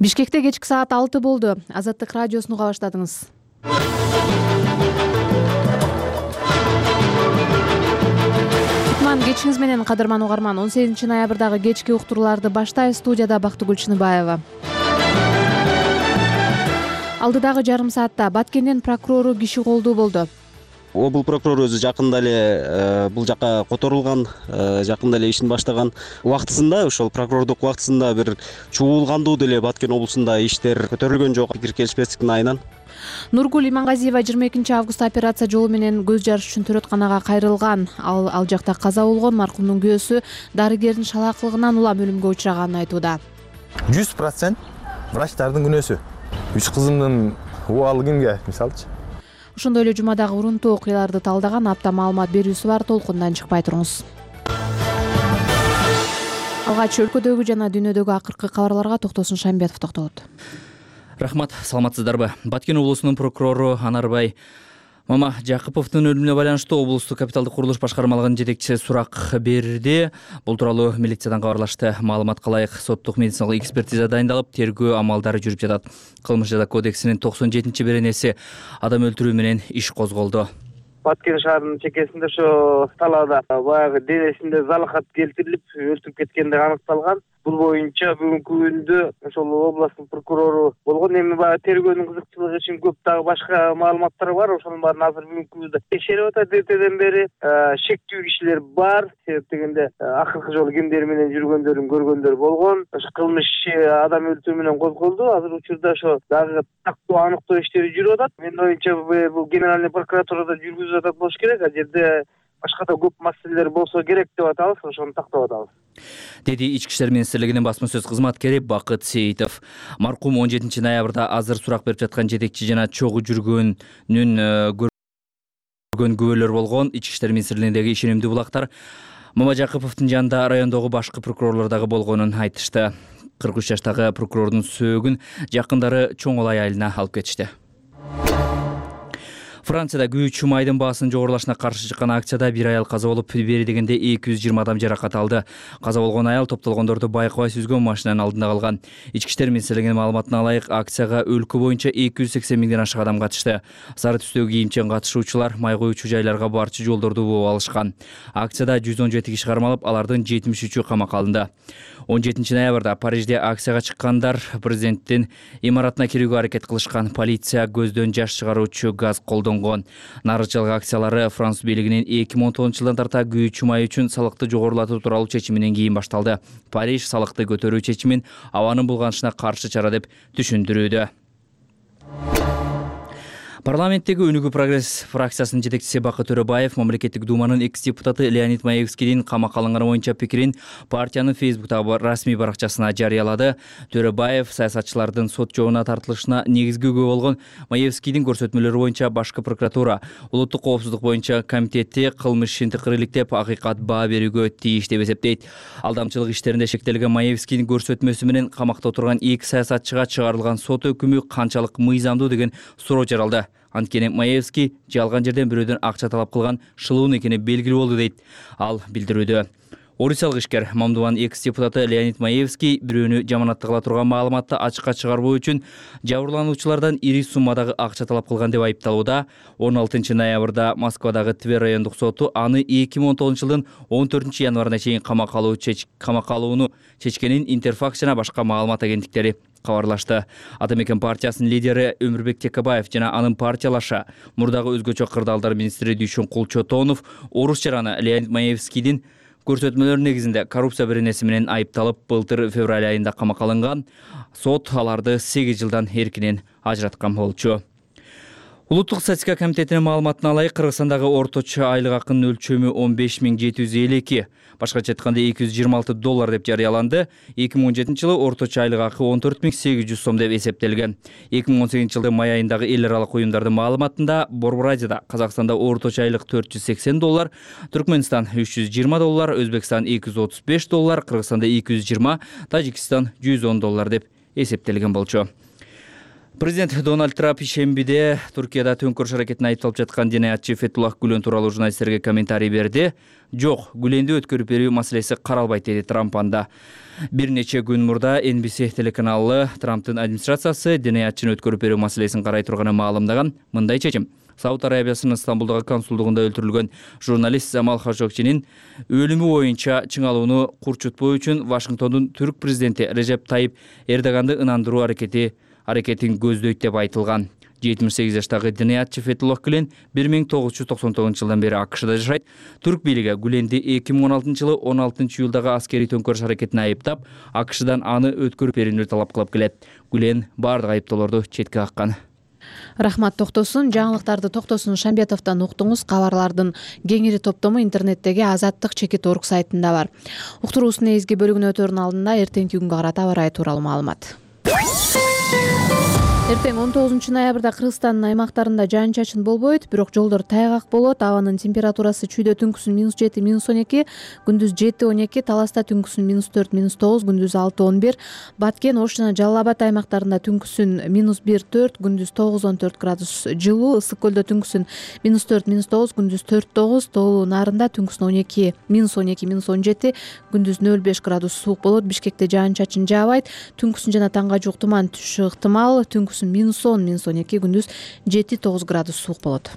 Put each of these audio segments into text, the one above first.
Бишкекте кечки саат 6 болду. Азаттык радиосуну уга баштадыңыз. Кечиңиз менен кадырман угарман. 18 ноябрдагы кечки уктурууларды баштайбыз. Студияда Бактыгүл Чыныбаева. Алдыдагы жарым саатта Баткендин прокурору киши колдуу болду. Облус прокурору өзү жакында эле бул жака которулган, жакында эле ишин баштаган. Убактысында ошол прокурордук убактысында бир чуулгандуу деле Баткен облусунда иштер көтөрүлгөн жок, пикир келишпестиктин айынан. Нургул Имангазиева 22 августта операция жолу менен көз жарыш үчүн төрөтканага кайрылган. Ал жакта каза болгон. Маркумдун күйөөсү дарыгердин шалаакылыгынан улам өлүмгө учраганын айтууда. 100% врачтардын күнөөсү. 3 кызымдын убалы кимге, мисалчы. Ошондой эле жумадагы урунтуу окуяларды талдаган апта маалымат берүүсү бар. Толкундан чыкпай туруңуз. Алгач өлкөдөгү жана дүйнөдөгү акыркы кабарларга Токтосун Шамбетов токтолот. Рахмат, саламатсыздарбы? Баткен облусунун прокурору Анарбай Мамажакыповдун өлүмүнө байланыштуу облустук капиталдык курулуш башкармалыгынын жетекчиси сурак берди. Бул тууралуу милициядан кабарлашты. Маалыматка ылайык соттук медициналык экспертиза дайындалып, тергөө амалдары жүрүп жатат. Кылмыш жаза кодексинин 97-беренеси адам өлтүрүү менен иш козголду. Баткен шаарынын чекесинде ошо талаада баягы денесинде залахат келтирилип өлтүрүп кеткендиги аныкталган. Бул боюнча бүгүнкү күндө ошол областтын прокурору болгон. Эми баягы тергөөнүн кызыкчылыгы үчүн көп дагы башка маалыматтар бар. Ошонун баарын азыр бүгүнкү күндө текшерип атат. Эртеден бери шектүү кишилер бар. Себеп дегенде акыркы жолу кимдер менен жүргөндөрүн көргөндөр болгон. Ошо кылмыш адам өлтүрүү менен козголду. Азыр учурда ошо дагы тактоо аныктоо иштери жүрүп атат. Менин оюмча бул генеральный прокуратурада жүргүзүп атат болуш керек. А жерде башка да көп маселелер болсо керек деп атабыз, ошону тактап атабыз, деди Ички иштер министрлигинин басма сөз кызматкери Бакыт Сейитов. Маркум 17 ноябрда азыр сурак берип жаткан жетекчи жана чогуу жүргөнүн көргөн күбөлөр болгон. Ички иштер министрлигиндеги ишенимдүү булактар Мамажакыповдун жанында райондогу башкы прокурорлор дагы болгонун айтышты. 43 жаштагы прокурордун сөөгүн жакындары чоң олай айылына алып кетишти. Францияда күйүүчү майдын баасынын жогорулашына каршы чыккан акцияда бир аял каза болуп, бери дегенде 220 адам жаракат алды. Каза болгон аял топтолгондорду байкабай сүзгөн машинанын алдында калган. Ички иштер министрлигинин маалыматына ылайык, акцияга өлкө боюнча 280 миңден ашык адам катышты. Сары түстөгү кийимчен катышуучулар май коюучу жайларга барчу жолдорду бууп алышкан. Акцияда 117 киши кармалып, алардын 73-ü камакка алынды. 17 ноябрда Парижде акцияга чыккандар президенттин имаратына кирүүгө аракет кылышкан. Полиция көздөн жаш чыгаруучу газ колдонгон. Нарычылык акциялары Француз бийлигинин 2010-жылдан тарта күйүүчү май үчүн салыкты жогорулатуу тууралуу чечиминен кийин башталды. Париж салыкты көтөрүү чечимин абанын булганышына каршы чара деп түшүндүрүүдө. Парламенттеги Өнүгүү прогресс фракциясынын жетекчиси Бакыт Төрөбаев мамлекеттик думанын экс-депутаты Леонид Маевскийдин камакка алынганы боюнча пикирин партиянын Фейсбуктагы расмий баракчасына жарыялады. Төрөбаев саясатчылардын сот жообуна тартылышына негизги күбө болгон Маевскийдин көрсөтмөлөрү боюнча башкы прокуратура, улуттук коопсуздук боюнча комитети кылмыш ишин тыкырыйлыктеп, акыйкат баа берүүгө тийиш деп эсептейт. Алдамчылык иштеринде шектелген Маевскийдин көрсөтмөсү менен камакта отурган 2 саясатчыга чыгарылган сот өкүмү канчалык мыйзамдуу деген суроо жаралды. Анткени Маевский жалган жерден бирөөдөн акча талап кылган шылуун экени белгилүү болду дейт ал билдирүүдө. Орусиялык ишкер Мамдубанын экс-депутаты Леонид Маевский бирөөнү жаманатта кыла турган маалыматты ачыкка чыгарбоо үчүн жабырлануучулардан ири суммадагы акча талап кылган деп айыпталууда. 16 ноябрда Москвадагы Тver райондук соту аны 2010-жылдын 14 январына чейин камакка алууну чечкенин Интерфакс жана башка маалымат агенттиктери кабарлашты. Ата мекен партиясынын лидери Өмүрбек Текебаев жана анын партиялаша мурдагы өзгөчө кырдаалдар министри Дүйшөн Кулчотонов орус жараны Леонид Маевскийдин көрсөтмөлөр негизинде коррупция беренеси менен айыпталып, былтыр февраль айында камакка алынган. Сот аларды 8 жылдан эркинен ажыраткан болчу. Улуттук статистика комитетинин маалыматына ылайык, Кыргызстандагы орточо айлык акынын өлчөмү 15.752, башкача айтканда $226 деп жарыяланды. 2017-жылы орточо айлык акы 14.800 сом деп эсептелген. 2018-жылдын май айындагы эл аралык уюмдардын маалыматында Борборадияда Казакстанда орточо айлык $480, Түркмөнстан $320, Өзбекстан Президент Дональд Трамп ишембиде Туркияда төңкөрүш аракетине айыпталып жаткан динаятчы Фетуллах Гүлен тууралуу журналисттерге комментарий берди. Жок, Гүленди өткөрүп берүү маселеси каралбайт, деди Трамп анда. Бир нече күн мурда NBC телеканалы Трамптын администрациясы динаятчыны өткөрүп берүү маселесин карай турганын маалымдаган. Мындай чечим: Сауд Арабиясынын Стамбулдагы консулдугунда өлтүрүлгөн журналист Замал Хашогчинин өлүмү боюнча чыңалууну курчутпоо үчүн Вашингтондун түрк президенти Режеп Тайип Эрдоганды ынандыруу аракетин көздөйт деп айтылган. 78 жаштагы динаятчы Фетуллах Гүлен 1999 жылдан бери АКШда жашайт. Түрк бийлиги Гүленди 2016 жылы 16 июлдагы аскерий төңкөрүш аракетине айыптап, АКШдан аны өткөрүп берүүнү талап кылып келет. Гүлен бардык айыптоолорду четке каккан. Рахмат токтосун. Жаңылыктарды Токтосун Шамбетовдон уктуңуз. Кабарлардын кеңири топтому интернеттеги Азаттык.org сайтында бар. Уктуруусунун эзги бөлүгүнө өтөрүнүн алдында эртеңки күнгө карата аба ырайы тууралуу маалымат. Эртең 19 ноябрда Кыргызстандын аймактарында жаан-чачын болбойт, бирок жолдор тайгак болот. Абанын температурасы чүйдө түнкүсүн -7, -12, күндүз 7-12, Таласта түнкүсүн -4, -9, күндүз 6-11, Баткен, Ош жана Жалал Абад аймактарында түнкүсүн -1-4, күндүз 9-14 градус жылуу, Ысык көлдө түнкүсүн -4, -9, күндүз 4-9, Тоолуу Нарында түнкүсүн -12, -17, күндүз 0-5 градус суук болот. Бишкекте жаан-чачын жаабайт, түнкүсүн жана таңга жуук туман түшүшү ыктымал. Түнкүсүн -10, -12, күндүз 7-9 градус суук болот.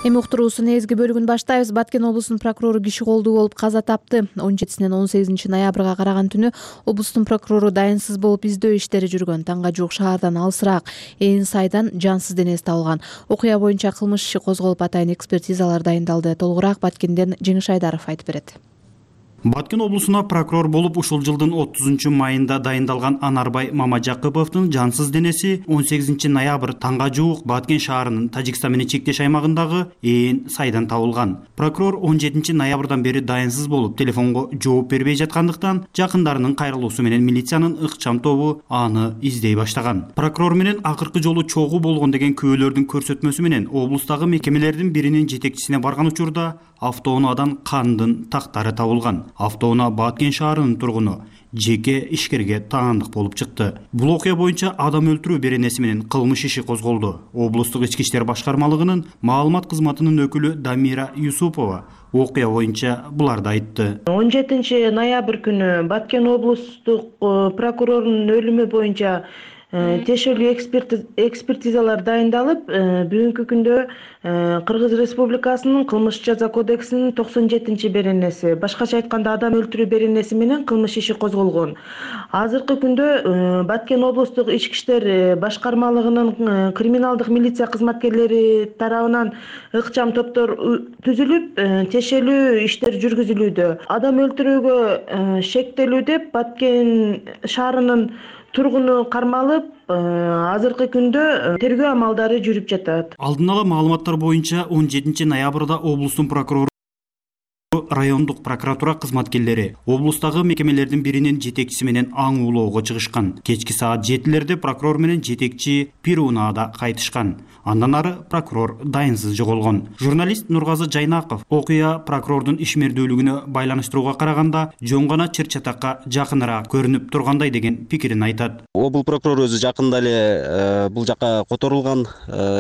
Эми уктуруусунун эзги бөлүгүн баштайбыз. Баткен облусунун прокурору киши колдуу болуп каза тапты. 17-синен 18 ноябрга караган түнү облустун прокурору дайынсыз болуп издөө иштери жүргөн. Таңга жуук шаардан алысыраак Ээн сайдан жансыз денеси табылган. Окуя боюнча кылмыш иши козголуп, атайын экспертизалар дайындалды. Толугураак Баткенден Жеңиш Айдаров айтып берет. Баткен облусуна прокурор болуп ушул жылдын 30 майында дайындалган Анарбай Мамажакыповдун жансыз денеси 18 ноябрь таңга жуук Баткен шаарынын Тажикстан менен чектеш аймагындагы Ээн сайдан табылган. Прокурор 17 ноябрдан бери дайынсыз болуп, телефонго жооп бербей жаткандыктан жакындарынын кайрылуусу менен милициянын ыкчам тобу аны издей баштаган. Прокурор менен акыркы жолу чогуу болгон деген күбөлөрдүн көрсөтмөсү менен облустагы мекемелердин биринин жетекчисине барган учурда автоунаадан кандын тактары табылган. Автоунаа Баткен шаарынын тургуну жеке ишкерге таандык болуп чыкты. Бул окуя боюнча адам өлтүрүү беренеси менен кылмыш иши козголду. Облустук ички иштер башкармалыгынын маалымат кызматынын өкүлү Дамира Юсупова окуя боюнча буларды айтты. 17 ноябрь күнү Баткен облустук прокурорунун өлүмү боюнча тиешелүү экспертизалар дайындалып, бүгүнкү күндө Кыргыз Республикасынын кылмыш жаза кодексинин 97 беренеси, башкача айтканда адам өлтүрүү беренеси менен кылмыш иши козголгон. Азыркы күндө Баткен облустук ички иштер башкармалыгынын криминалдык милиция кызматкерлери тарабынан ыкчам топтор түзүлүп, тиешелүү иштер жүргүзүлүүдө. Адам өлтүрүүгө шектелүү деп Баткен шаарынын тургуну кармалып, азыркы күндө тергөө амалдары жүрүп жатат. Алдын ала маалыматтар боюнча 17 ноябрда облустун прокурору райондук прокуратура кызматкерлери облустагы мекемелердин биринин жетекчиси менен аң улоого чыгышкан. Кечки саат 7-лерде прокурор менен жетекчи Пирунаада кайтышкан. Андан ары прокурор дайынсыз жоголгон. Журналист Нургазы Жайнаков окуя прокурордун ишмердүүлүгүнө байланыштырууга караганда жөн гана чыр-чатакка жакыныраак көрүнүп тургандай деген пикирин айтат. Облус прокурору өзү жакында эле бул жакка которулган,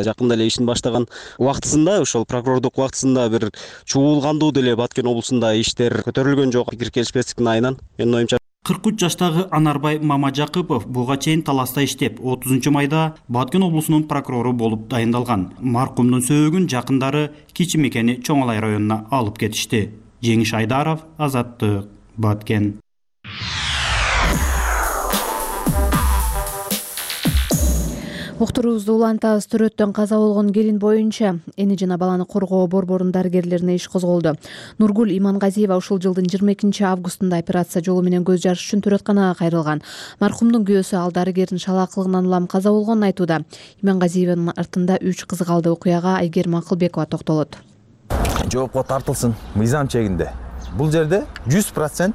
жакында эле ишин баштаган убактысында, ошол прокурордук убактысында бир чуулгандуу деле Баткен облусунда иштер көтөрүлгөн жок. Пикир келишпестиктин айынан менин оюмча 43 жаштагы Анарбай Мамажакыпов буга чейин Таласта иштеп, 30 майда Баткен облусунун прокурору болуп дайындалган. Маркумдун сөөгүн жакындары Кичи Мекени Чоңалай районуна алып кетишти. Жеңиш Айдаров, Азаттык, Баткен. Уктуруубузду улантабыз. Төрөттөн каза болгон келин боюнча эне жана баланы коргоо борборунун дарыгерлерине иш козголду. Нургул Имангазиева ушул жылдын 22 августунда операция жолу менен көз жарыш үчүн төрөтканага кайрылган. Маркумдун күйөөсү ал дарыгердин шалаакылыгынан улам каза болгонун айтууда. Имангазиеванын артында 3 кызы калды. Окуяга Айгерим Акылбекова токтолот. Жоопко тартылсын мыйзам чегинде. Бул жерде 100%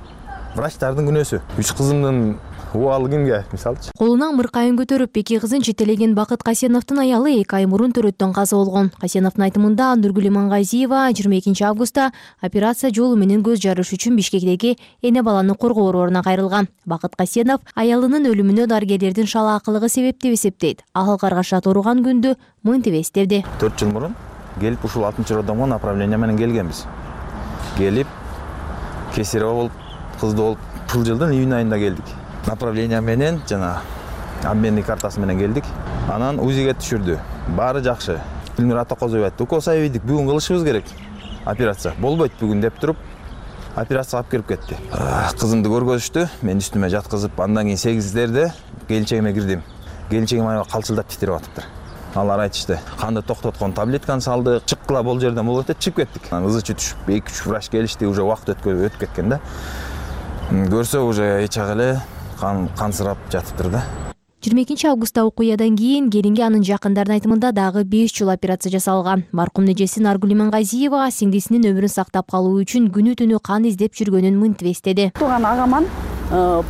врачтардын күнөөсү. 3 кызымдын Убалы кимге мисалычы? Колуна мыркайын көтөрүп эки кызын жетелеген Бакыт Касеновдун аялы 2 ай мурун төрөттөн каза болгон. Касеновдун айтымында Нургүл Имангазиева 22 августта операция жолу менен көз жарыш үчүн Бишкектеги эне баланы коргоо борборуна кайрылган. Бакыт Касенов аялынын өлүмүнө дарыгерлердин шалаакылыгы себеп деп эсептейт. Ал каргаша турган күндү мынтип эстеди. 4 жыл мурун келип ушул 6-роддомго направление менен келгенбиз. Келип кесарево болуп, кызды болуп, бул жылдын июнь айында келдик. Направление менен жана обменный картасы менен келдик. Анан УЗИге түшүрдү. Баары жакшы. Элмира Атакозова айтты, укол сайбыйдык, бүгүн кылышыбыз керек. Операция болбойт бүгүн деп туруп, операцияга алып кирип кетти. Кызымды көргөзүштү, мен үстүмө жаткызып, андан кийин 8-дерде келинчегиме кирдим. Келинчегим аябай калчылдап титирип атыптыр. Алар айтышты, канды токтоткон таблетканы салдык, чыккыла бул жерден болот деп чыгып кеттик. Ызы түшүп, 2-3 врач келишти, уже убакыт өтүп кеткен да. Көрсө уже эчак эле кансырап жатыптыр да. 22 августта окуядан кийин келинге анын жакындарынын айтымында дагы 5 жыл операция жасалган. Маркумдун эжеси Наргүл Имангазиева сиңдисинин өмүрүн сактап калуу үчүн күнү түнү кан издеп жүргөнүн мынтип эстеди. Туган агаман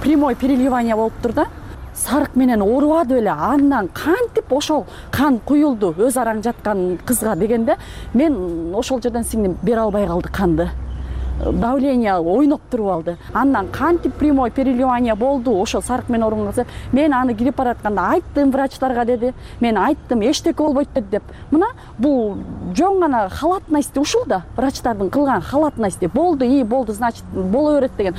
прямой переливание болуптур да. Сарык менен оорубады эле. Андан кантип ошол кан куюлду өз араң жаткан кызга дегенде, мен ошол жерден сиңдим бере албай калды канды. Давление ойноп туруп алды. Андан кантип прямой переливание болду, ошол сарык менен оорубаса, мен аны кирип баратканда айттым врачтарга деди. Мен айттым, эчтеке болбойт деп. Мына бул жөн гана халатность ушул да, врачтардын кылган халатность. Болду, значит, боло берет деген.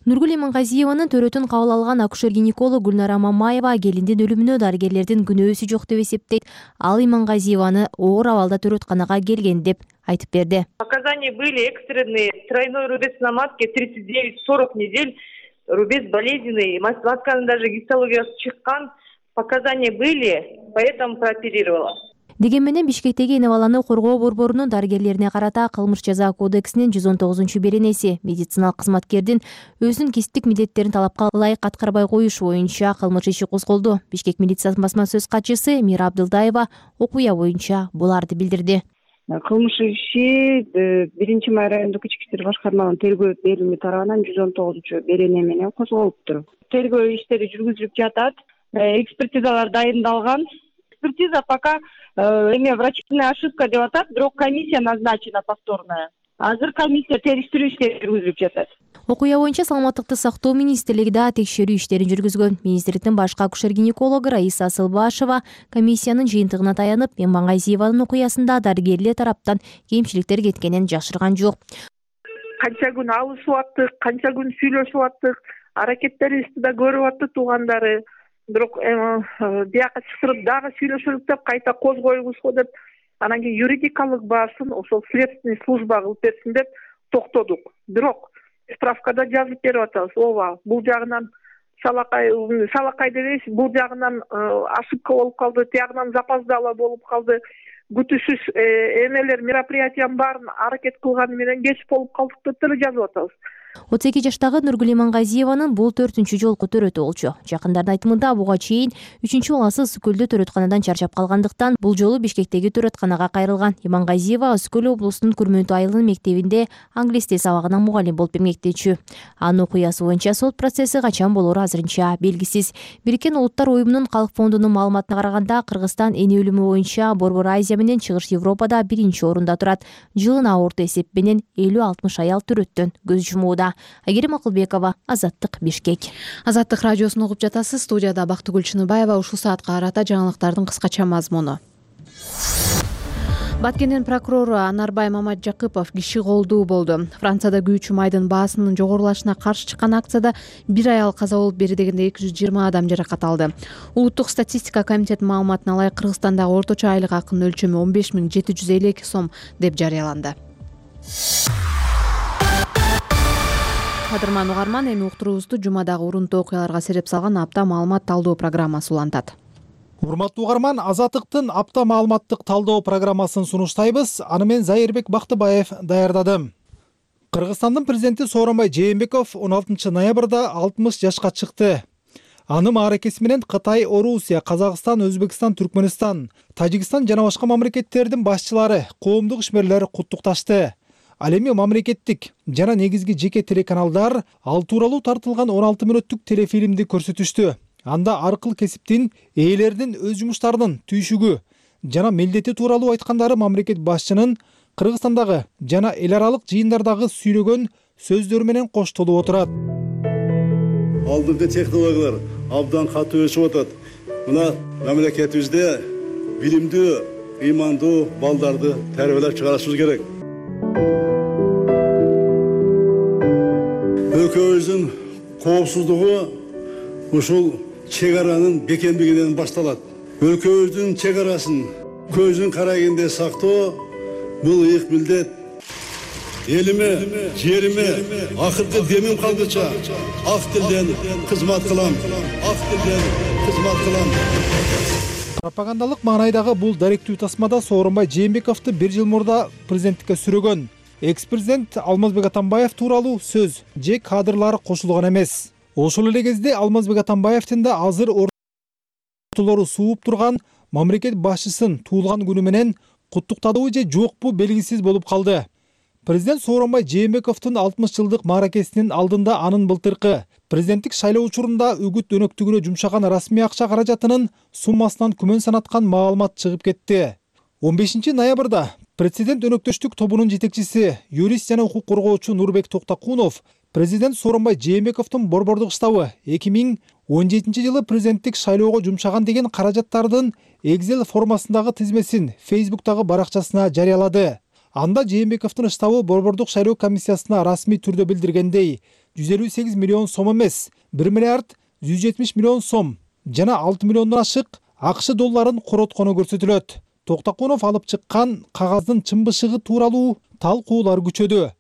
Нургүл Имангазиеванын төрөтүн кабыл алган акушер-гинеколог Гүлнара Мамаева келиндин өлүмүнө дарыгерлердин күнөөсү жок деп эсептейт. Ал Имангазиеваны оор абалда төрөтканага келген деп айтып берди. Показания были экстренные, тройной рубец на матке 39-40 недель, рубец болезненный, матканын даже гистологиясы чыккан, показания были, поэтому прооперировала. Деген менен Бишкектеги эне баланы коргоо борборунун дарыгерлерине карата кылмыш жаза кодексинин 119-беренеси медициналык кызматкердин өзүнүн кесиптик милдеттерин талапка ылайык аткарбай коюш боюнча кылмыш иши козголду. Бишкек милициясынын басма сөз катчысы Мира Абдылдаева окуя боюнча буларды билдирди. Кылмыш иши 1-май райондук ички иштер башкармалыгынын тергөө бөлүмү тарабынан 119-берене менен козголуптур. Тергөө иштери жүргүзүлүп жатат. Экспертизалар дайындалган. Экспертиза пока врачебная ошибка деп атат, бирок комиссия назначена повторная. Азыр комиссия териштирүү иштери жүргүзүлүп жатат. Окуя боюнча Саламаттыкты сактоо министрлиги да текшерүү иштерин жүргүзгөн. Министрликтин башкы акушер-гинекологу Раиса Асылбашева комиссиянын жыйынтыгына таянып, Имангазиеванын окуясында дарыгерлер тараптан кемчиликтер кеткенин жашырган жок. Канча күн алышып аттык, канча күн сүйлөшүп аттык, аракеттерибизди да көрүп атты туугандары. Бирок бияка чыгарып дагы сүйлөшөлүк деп кайта козгоюбузго деп, анан кийин юридикалык баасын ошол следственный служба кылып берсин деп токтодук. Бирок справкада жазып берип атабыз. Ооба, бул жагынан салакай дебейбиз, бул жагынан ошибка болуп калды, тиягынан запоздало болуп калды. Күтүшүз эмелер, мероприятиянын баарын аракет кылганы менен кеч болуп калдык деп деле жазып атабыз. 32 жаштагы Нургүл Имангазиеванын бул 4-чү жолку төрөтү болчу. Жакындардын айтымында буга чейин 3-чү баласы Үскөлдө төрөтканадан чарчап калгандыктан бул жолу Бишкектеги төрөтканага кайрылган. Имангазиева Үскөл облусунун Күрмөнтү айылынын мектебинде англис тил сабагына мугалим болуп эмгектечү. Анын окуясы боюнча сот процесси качан болору азырынча белгисиз. Бириккен Улуттар уюмунун калк фондунун маалыматына караганда, Кыргызстан эне өлүмү боюнча Борбор Азия менен Чыгыш Европада 1-орунда турат. Жылына орто эсеп менен 50-60 аял төрөттөн көз жумууда. Айгерим Акылбекова, Азаттык, Бишкек. Азаттык радиосун угуп жатасыз. Студияда Бактыгүл Чыныбаева. Ушул саатка карата жаңылыктардын кыскача мазмуну. Баткендин прокурору Анарбай Мамаджакыпов киши колдуу болду. Францияда күйүүчү майдын баасынын жогорулашына каршы чыккан акцияда бир аял каза болуп, бери дегенде 220 адам жаракат алды. Улуттук статистика комитетинин маалыматына ылайык, Кыргызстандагы орточо айлык акынын өлчөмү 15.752 сом деп жарыяланды. Кадырман угарман, эми уктуруубузду жумадагы урунтуу окуяларга сереп салган апта маалымат талдоо программасы улантат. Урматтуу угарман, Азаттыктын апта маалыматтык талдоо программасын сунуштайбыз. Аны мен Зайырбек Бактыбаев даярдадым. Кыргызстандын президенти Сооронбай Жээнбеков 16 ноябрда 60 жашка чыкты. Анын мааракеси менен Кытай, Орусия, Казакстан, Өзбекстан, Түркмөнстан, Тажикстан жана башка мамлекеттердин башчылары, коомдук ишмерлер куттукташты. Ал эми мамлекеттик жана негизги жеке телеканалдар ал тууралуу тартылган 16 мүнөттүк телефилмди көрсөтүштү. Анда ар кыл кесиптин ээлеринин өз жумуштарынын түйшүгү жана милдети тууралуу айткандары мамлекет башчынын Кыргызстандагы жана эл аралык жыйындардагы сүйлөгөн сөздөрү менен коштолуп отурат. Алдыңкы технологиялар абдан катуу өсүп атат. Мына мамлекетибизде билимдүү, ыймандуу балдарды тарбиялап чыгарышыбыз керек. Өлкөбүздүн коопсуздугу ушул чек аранын бекемдигинен башталат. Өлкөбүздүн чек арасын көздүн карайгындай сактоо бул ыйык милдет. Элиме, жериме, акыркы демим калгыча ак тилден кызмат кылам. Ак тилден кызмат кылам. Пропагандалык маанайдагы бул даректүү тасмада Сооронбай Жээнбековду 1 жыл мурда президенттикке сүрөгөн экс-президент Алмазбек Атамбаев тууралуу сөз же кадрлар кошулган эмес. Ошол эле кезде Алмазбек Атамбаевдин да азыр ортолору сууп турган мамлекет башчысын туулган күнү менен куттуктадыбы же жокпу белгисиз болуп калды. Президент Сооронбай Жээнбековдун 60 жылдык мааракесинин алдында анын былтыркы президенттик шайлоо учурунда үгүт өнөктүгүнө жумшаган расмий акча каражатынын суммасынан күмөн санаткан маалымат чыгып кетти. 15 ноябрда президент өнөктөштүк тобунун жетекчиси, юрист жана укук коргоочу Нурбек Токтокунов президент Сооронбай Жээнбековдун борбордук штабы 2017 жылы президенттик шайлоого жумшаган деген каражаттардын Excel формасындагы тизмесин Facebook'тагы баракчасына жарыялады. Анда Жээнбековдун штабы борбордук шайлоо комиссиясына расмий түрдө билдиргендей 158 миллион сом эмес, 1 миллиард 170 миллион сом жана 6 миллиондон ашык АКШ долларын короткону көрсөтүлөт. Токтокунов алып чыккан кагаздын чымбышыгы тууралуу талкуулар күчөдү.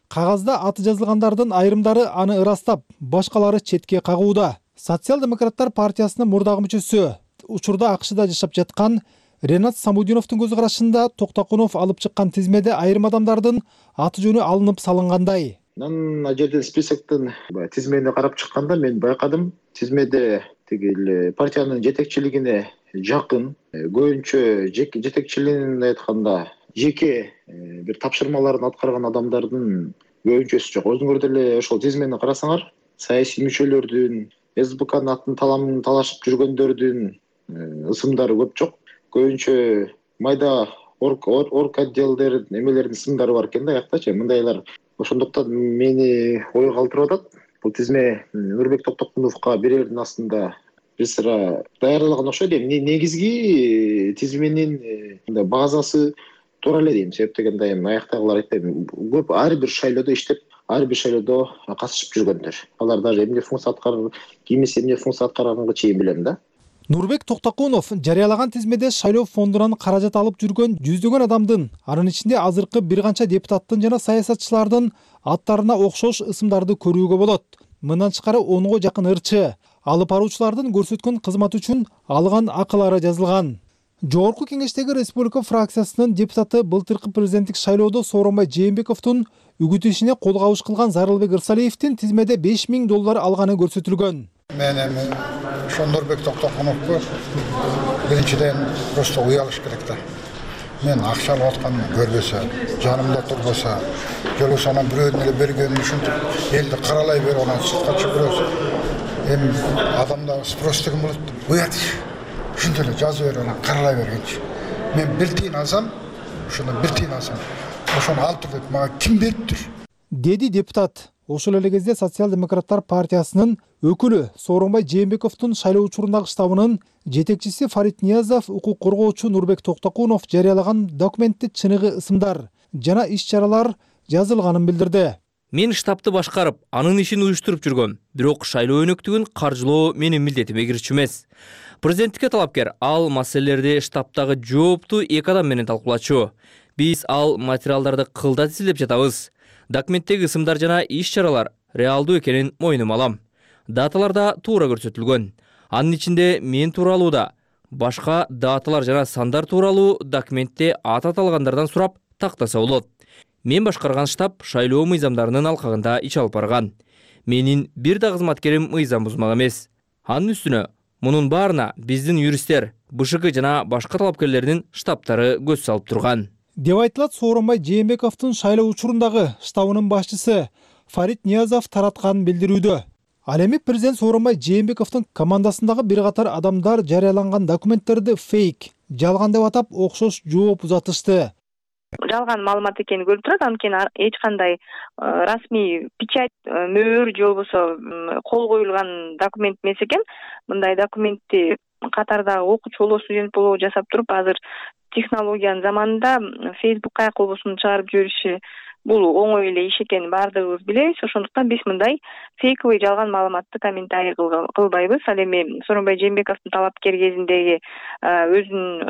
Кагазда аты жазылгандардын айрымдары аны ырастап, башкалары четке кагууда. Социал-демократтар партиясынын мурдагы мүчөсү, учурда АКШда жашап жаткан Ренат Самудиновдун көз карашында Токтокунов алып чыккан тизмеде айрым адамдардын аты жөнү алынып салынгандай. Ал жерден списоктун тизмени карап чыкканда мен байкадым, тизмеде тиги партиянын жетекчилигине жакын, көбүнчө жетекчилигин айтканда жеке бир тапшырмаларын аткарган адамдардын көбүнчөсү жок. Өзүңөр деле ошол тизмени карасаңар, саясий мүчөлөрдүн, СБКнын атын талашып жүргөндөрдүн ысымдары көп жок. Көбүнчө майда орг отделдер эмелердин ысымдары бар экен да, аяктачы мындайлар. Ошондуктан мени ой калтырып атат. Бул тизме Нурбек Токтокуновго берердин астында бир сыра даярдалган окшойт. Негизги тизменин базасы туура эле дейм. Себеп дегенде аяктагылар айтпайм. Көп ар бир шайлоодо иштеп, ар бир шайлоодо катышып жүргөндөр. Алар даже эмне функция аткарып, кимиси эмне функция аткарганга чейин билем да. Нурбек Токтокунов жарыялаган тизмеде шайлоо фондунан каражат алып жүргөн жүздөгөн адамдын, анын ичинде азыркы бир канча депутаттын жана саясатчылардын аттарына окшош ысымдарды көрүүгө болот. Мындан тышкары 10го жакын ырчы, алып баруучулардын көрсөткөн кызматы үчүн алган акылары жазылган. Жогорку кеңештеги республика фракциясынын депутаты былтыркы президенттик шайлоодо Сооронбай Жээнбековдун үгүт ишине кол кабыш кылган Зарылбек Ырсалиевдин тизмеде 5 000 доллар алганы көрсөтүлгөн. Мен эми ошо Нурбек Токтокуновго биринчиден просто уялыш керек да. Мен акча алып атканымды көрбөсө, жанымда турбаса, жолу анан бирөөнүн эле бергенин ушинтип элди каралай берип анан сыртка чыгырабыз. Эми адамда спрос деген болот. Уят ушинтип эле жазып берип анан каралай бергенчи. Мен бир тиын алсам, ошондон бир тиын алсам, ошону алып тур деп мага ким бериптир? Деди депутат. Ошол эле кезде Социал-демократтар партиясынын өкүлү Сооронбай Жээнбековдун шайлоо учурундагы штабынын жетекчиси Фарид Ниязов укук коргоочу Нурбек Токтокунов жарыялаган документте чыныгы ысымдар жана иш-чаралар жазылганын билдирди. Мен штабты башкарып, анын ишин уюштуруп жүргөм. Бирок шайлоо өнөктүгүн каржылоо менин милдетиме кирчү эмес. Президенттикке талапкер ал маселелерди штабтагы жооптуу 2 адам менен талкуулачу. Биз ал материалдарды кылдат изилдеп жатабыз. Документтеги ысымдар жана иш-чаралар реалдуу экенин мойнума алам. Даталарда туура көрсөтүлгөн. Анын ичинде мен тууралуу да, башка даталар жана сандар тууралуу документте аты аталгандардан сурап тактаса болот. Мен башкарган штаб шайлоо мыйзамдарынын алкагында иш алып барган. Менин бир да кызматкерим мыйзам бузмак эмес. Анын үстүнө мунун баарына биздин юристтер, БШК жана башка талапкерлердин штабтары көз салып турган. деп айтылат Сооронбай Жээнбековдун шайлоо учурундагы штабынын башчысы Фарид Ниязов таратканын билдирүүдө. Ал эми президент Сооронбай Жээнбековдун командасындагы бир катар адамдар жарыяланган документтерди фейк, жалган деп атап окшош жооп узатышты. Жалган маалымат экени көрүнүп турат, анткени эч кандай расмий печать, мөөр же болбосо кол коюлган документ эмес экен. Мындай документти катардагы окуучу болобу, студент болобу жасап туруп, азыр технологиянын заманында Facebook каяк болбосун чыгарып жибериши бул оңой эле иш экенин баардыгыбыз билебиз. Ошондуктан биз мындай фейковый жалган маалыматты комментарий кылбайбыз. Ал эми Сооронбай Жээнбековдун талапкер кезиндеги өзүнүн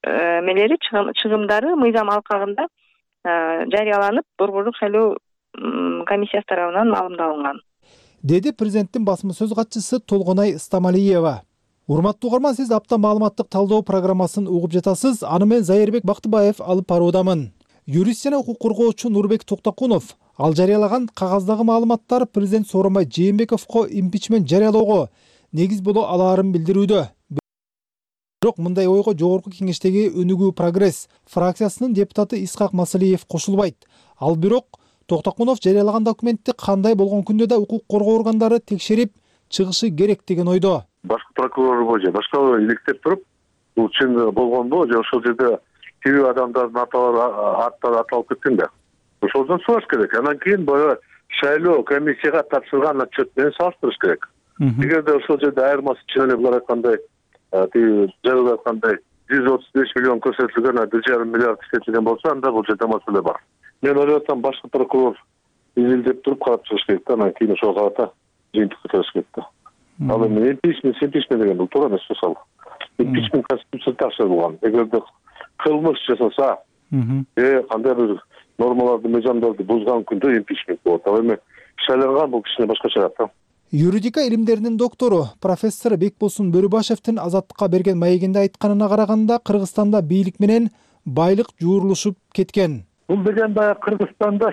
эмелери, чыгымдары мыйзам алкагында жарыяланып, Борбордук шайлоо комиссиясы тарабынан маалымдалынган, деди президенттин басма сөз катчысы Толгонай Стамалиева. Урматтуу угарман, сиз апта маалыматтык талдоо программасын угуп жатасыз. Аны мен Зайырбек Бактыбаев алып баруудамын. Юрист жана укук коргоочу Нурбек Токтокунов ал жарыялаган кагаздагы маалыматтар президент Сооронбай Жээнбековго импичмент жарыялоого негиз боло алаарын билдирүүдө. Бирок мындай ойго жогорку кеңештеги Өнүгүү Прогресс фракциясынын депутаты Исхак Масалиев кошулбайт. Ал бирок Токтокунов жарыялаган документти кандай болгон күндө да укук коргоо органдары текшерип чыгышы керек деген ойдо. Башкы прокурор же башка иликтеп туруп, бул чын болгонбу же ошол жерде тиги адамдардын аттары аталып кеткен да. Ошолдон сураш керек. Анан кийин баягы шайлоо комиссияга тапшырган отчет менен салыштырыш керек. Эгерде ошол жерде айырмасы чын эле булар айткандай, тиги жарыялап айткандай 135 миллион көрсөтүлгөн, 1,5 миллиард иштетилген болсо, анда бул жерде маселе бар. Мен ойлоп атам, башкы прокурор изилдеп туруп карап чыгыш керек да, анан кийин ошого карата жыйынтык чыгарыш керек да. Ал эми импичмент деген бул туура эмес мисалы. Импичмент конституцияда тапшырылган. Эгерде кылмыш жасаса, кандай бир нормаларды, мыйзамдарды бузган күндө импичмент болот. Ал эми шайланган бул кичине башкача да. Юридика илимдеринин доктору профессор Бекболсун Бөрүбашевдин Азаттыкка берген маегинде айтканына караганда, Кыргызстанда бийлик менен байлык жуурулушуп кеткен. Бул деген баягы Кыргызстанда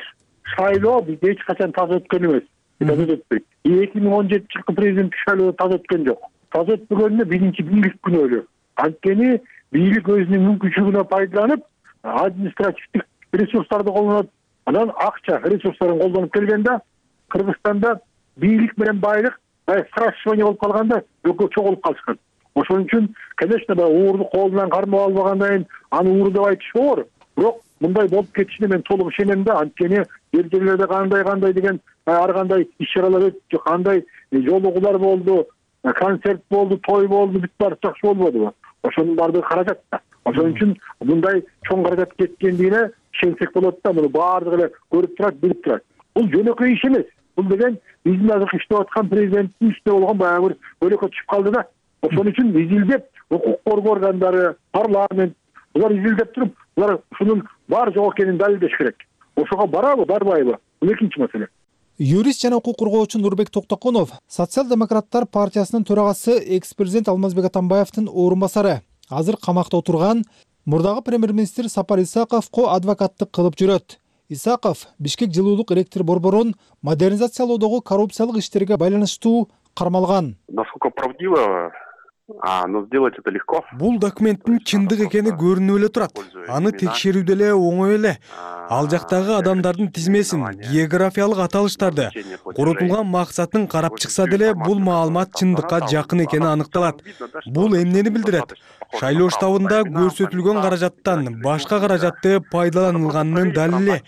шайлоо бизде эч качан таза өткөн эмес. Таза өтпөйт. 2017 жылкы президенттик шайлоо таза өткөн жок. Таза өтпөгөнүнө биринчи бийлик күнөөлүү. Анткени бийлик өзүнүн мүмкүнчүлүгүнө пайдаланып, административдик ресурстарды колдонот. Анан акча ресурстарын колдонуп келгенде Кыргызстанда бийлик менен байлык сращивание болуп калганда экөө чогулуп калышкан. Ошон үчүн, конечно, уурду колунан кармап албагандан кийин аны ууру деп айтыш оор. Бирок мындай болуп кетишине мен толук ишенем да. Анткени жерлерде кандай деген ар кандай иш-чаралар өттү, кандай жолугулар болду, концерт болду, той болду, бүт баары жакшы болбодубу? Ошонун баардыгы каражат да. Ошон үчүн мындай чоң каражат кеткендигине ишенсек болот да. Муну баардыгы эле көрүп турат, билип турат. Бул жөнөкөй иш эмес. Бул деген биздин азыркы иштеп аткан президенттин үстүндө болгон баягы бир өлөкө түшүп калды да. Ошон үчүн изилдеп, укук коргоо органдары, парламент булар изилдеп туруп, булар ушунун бар жок экенин далилдеш керек. Ошого барабы, барбайбы? Бул экинчи маселе. Юрист жана укук коргоочу Нурбек Токтокунов Социал-демократтар партиясынын төрагасы экс-президент Алмазбек Атамбаевдин орун басары. Азыр камакта отурган мурдагы премьер-министр Сапар Исаковго адвокаттык кылып жүрөт. Исаков Бишкек жылуулук электр борборун модернизациялоодогу коррупциялык иштерге байланыштуу кармалган. Насколько правдиво, но сделать это легко. Бул документтин чындык экени көрүнүп эле турат. Аны текшерүү деле оңой эле. Ал жактагы адамдардын тизмесин, географиялык аталыштарды, коротулган максатын карап чыкса деле бул маалымат чындыкка жакын экени аныкталат. Бул эмнени билдирет? Шайлоо штабында көрсөтүлгөн каражаттан башка каражатты пайдаланылганынын далили.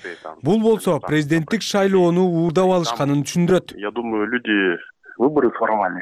Бул болсо президенттик шайлоону уурдап алышканын түшүндүрөт. Я думаю, люди выборы своровали,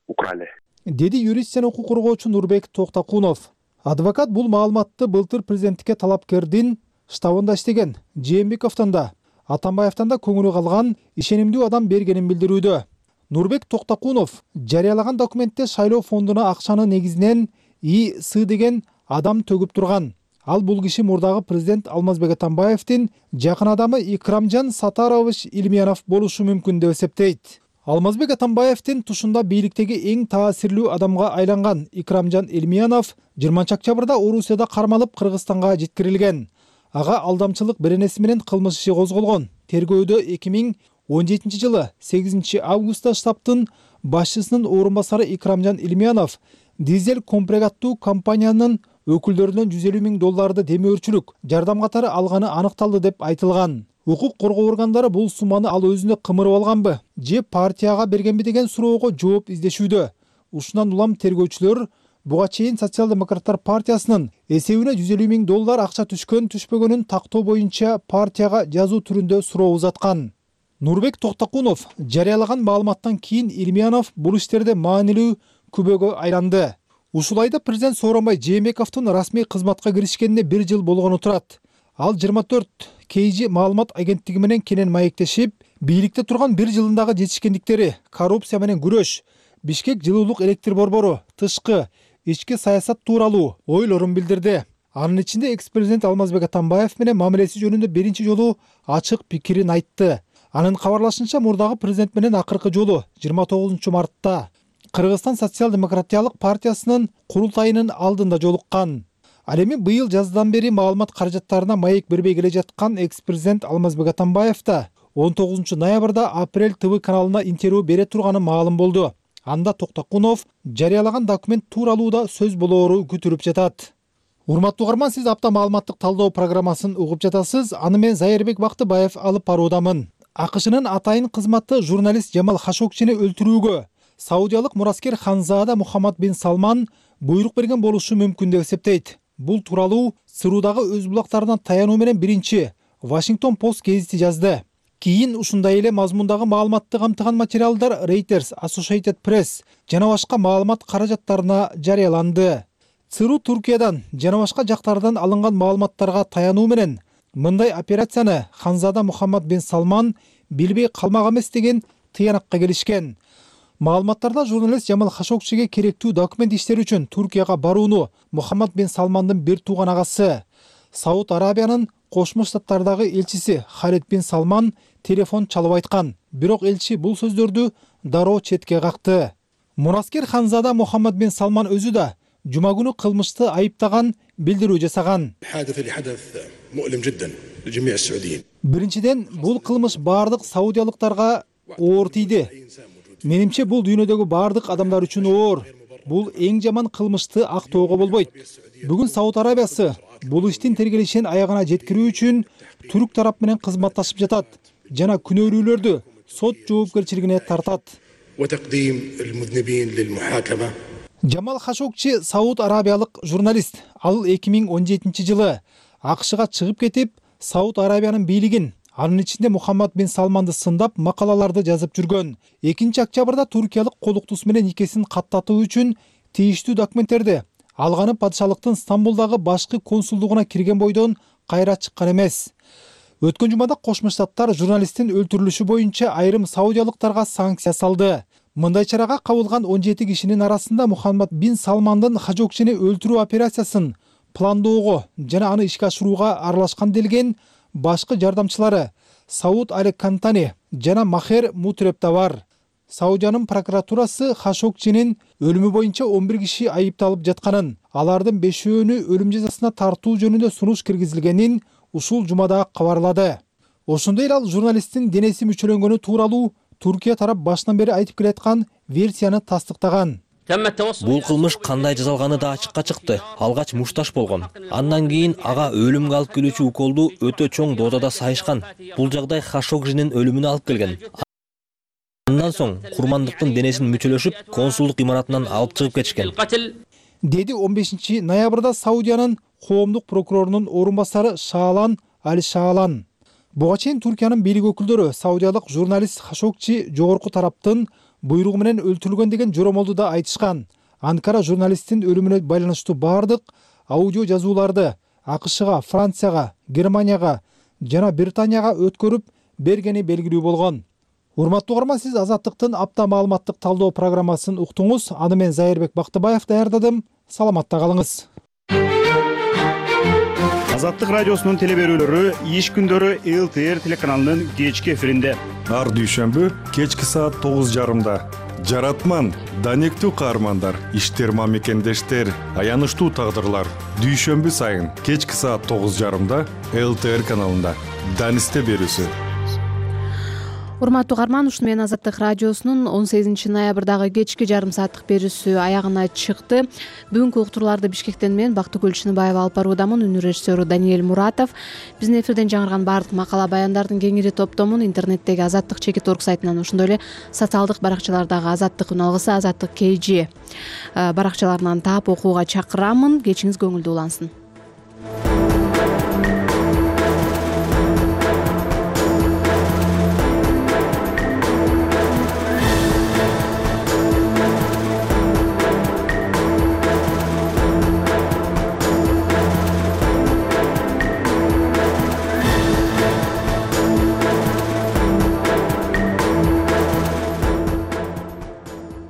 украли. Деди юрист жана укук коргоочу Нурбек Токтокунов. Адвокат бул маалыматты былтыр президенттикке талапкердин штабында иштеген Жээнбековдон да, Атамбаевден да көңүлү калган ишенимдүү адам бергенин билдирүүдө. Нурбек Токтокунов жарыялаган документте шайлоо фондуна акчаны негизинен И.С. деген адам төгүп турган. Ал бул киши мурдагы президент Алмазбек Атамбаевдин жакын адамы Икрамжан Сатарович Илмиянов болушу мүмкүн деп эсептейт. Алмазбек Атамбаевдин тушунда бийликтеги эң таасирлүү адамга айланган Икрамжан Илмиянов 20-октябрда Орусияда кармалып Кыргызстанга жеткирилген. Ага алдамчылык беренеси менен кылмыш иши козголгон. Тергөөдө 2017 жылы 8 августта штабтын башчысынын орун басары Икрамжан Илмиянов дизель компрегаттуу компаниянын өкүлдөрүнөн $150,000 демөөрчүлүк жардам катары алганы аныкталды деп айтылган. Укук коргоо органдары бул сумманы ал өзүнө кымырып алганбы же партияга бергенби деген суроого жооп издешүүдө. Ушундан улам тергөөчүлөр буга чейин Социал-демократтар партиясынын эсебине $150,000 акча түшкөн-түшпөгөнүн тактоо боюнча партияга жазуу түрүндө суроо узаткан. Нурбек Токтокунов жарыялаган маалыматтан кийин Илмиянов бул иштерде маанилүү күбөгө айланды. Ушул айда президент Сооронбай Жээнбековдун расмий кызматка киришкенине 1 жыл болгону турат. Ал 24 KG маалымат агенттиги менен кенен маектешип, бийликте турган 1 жылындагы жетишкендиктери, коррупция менен күрөш, Бишкек жылуулук электр борбору, тышкы, ички саясат тууралуу ойлорун билдирди. Анын ичинде экс-президент Алмазбек Атамбаев менен мамилеси жөнүндө биринчи жолу ачык пикирин айтты. Анын кабарлашынча мурдагы президент менен акыркы жолу 29 мартта Кыргызстан социал-демократиялык партиясынын курултайынын алдында жолуккан. Ал эми быйыл жаздан бери маалымат каражаттарына маек бербей келе жаткан экс-президент Алмазбек Атамбаев да 19 ноябрда Апрель ТВ каналына интервью бере турганы маалым болду. Анда Токтокунов жарыялаган документ тууралуу да сөз болоору күтүлүп жатат. Урматтуу угарман, сиз апта маалыматтык талдоо программасын угуп жатасыз. Аны мен Зайырбек Бактыбаев алып баруудамын. АКШнын атайын кызматы журналист Жамал Хашогчини өлтүрүүгө саудиялык мураскер Ханзада Мухаммад бин Салман буйрук берген болушу мүмкүн деп эсептейт. Бул тууралуу СРУдагы өз булактарынан таянуу менен биринчи Washington Post гезити жазды. Кийин ушундай эле мазмундагы маалыматты камтыган материалдар Reuters, Associated Press жана башка маалымат каражаттарына жарыяланды. ЦРУ Туркиядан жана башка жактардан алынган маалыматтарга таянуу менен мындай операцияны Ханзада Мухаммад бин Салман билбей калмак эмес деген тыянакка келишкен. Маалыматтарда журналист Жамал Хашогчиге керектүү документ иштери үчүн Туркияга барууну Мухаммад бин Салмандын бир тууган агасы, Сауд Арабиянын Кошмо Штаттардагы элчиси Халид бин Салман телефон чалып айткан. Бирок элчи бул сөздөрдү дароо четке какты. Мураскер Ханзада Мухаммад бин Салман өзү да жума күнү кылмышты айыптаган билдирүү жасаган. Биринчиден, бул кылмыш бардык саудиялыктарга оор тийди. Менимче бул дүйнөдөгү бардык адамдар үчүн оор. Бул эң жаман кылмышты актоого болбойт. Бүгүн Сауд Арабиясы бул иштин тергелишин аягына жеткирүү үчүн түрк тарап менен кызматташып жатат жана күнөөлүүлөрдү сот жоопкерчилигине тартат. Жамал Хашогчи Сауд Арабиялык журналист. Ал 2017 жылы АКШга чыгып кетип, Сауд Арабиянын бийлигин, анын ичинде Мухаммад бин Салманды сындап макалаларды жазып жүргөн. 2-октябрда туркиялык колуктус менен никесин каттатуу үчүн тийиштүү документтерди алганы падышалыктын Стамбулдагы башкы консулдугуна кирген бойдон кайра чыккан эмес. Өткөн жумада Кошмо Штаттар журналисттин өлтүрүлүшү боюнча айрым саудиялыктарга санкция салды. Мындай чарага кабылган 17 кишинин арасында Мухаммад бин Салмандын Хашогчини өлтүрүү операциясын пландоого жана аны ишке ашырууга аралашкан делген башкы жардамчылары Сауд Али Кантани жана Махер Мутреп да бар. Саудиянын прокуратурасы Хашогчинин өлүмү боюнча 11 киши айыпталып жатканын, алардын 5-өөнү өлүм жазасына тартуу жөнүндө сунуш киргизилгенин ушул жумада кабарлады. Ошондой эле ал журналисттин денеси мүчөлөнгөнү тууралуу Туркия тарап башынан бери айтып келаткан версияны тастыктаган. Бул кылмыш кандай жасалганы да ачыкка чыкты. Алгач мушташ болгон. Андан кийин ага өлүмгө алып келүүчү уколду өтө чоң дозада сайышкан. Бул жагдай Хашогчинин өлүмүнө алып келген. Андан соң курмандыктын денесин мүчөлөшүп, консулдук имаратынан алып чыгып кетишкен. Деди 15 ноябрда Саудиянын коомдук прокурорунун орун басары Шаалан Аль-Шаалан. Буга чейин Туркиянын бийлик өкүлдөрү саудиялык журналист Хашогчи жогорку тараптын буйругу менен өлтүрүлгөн деген жоромолду да айтышкан. Анкара журналисттин өлүмүнө байланыштуу бардык аудио жазууларды АКШга, Францияга, Германияга жана Британияга өткөрүп бергени белгилүү болгон. Урматтуу угарман, сиз Азаттыктын апта маалыматтык талдоо программасын уктуңуз. Аны мен Зайырбек Бактыбаев даярдадым. Саламатта калыңыз. Азаттык радиосунун телеберүүлөрү иш күндөрү ЛТР телеканалынын кечки эфиринде. Ар дүйшөмбү кечки саат 9:30. Жаратман, данектүү каармандар, иштерма мекендештер, аянычтуу тагдырлар. Дүйшөмбү сайын кечки саат 9:30 ЛТР каналында. Данисте берүүсү. урматтуу угарман, ушуну менен Азаттык радиосунун 18 ноябрдагы кечки жарым сааттык берүүсү аягына чыкты. Бүгүнкү уктурууларды Бишкектен мен Бактыгүл Чыныбаева алып баруудамын. Үнү режиссеру Даниэль Муратов. Биздин эфирден жаңырган баардык макала баяндардын кеңири топтомун интернеттеги azattik.org сайтынан, ошондой эле социалдык баракчалардагы Азаттык үналгысы, Азаттык KG баракчаларынан таап окууга чакырамын. Кечиңиз көңүлдүү улансын.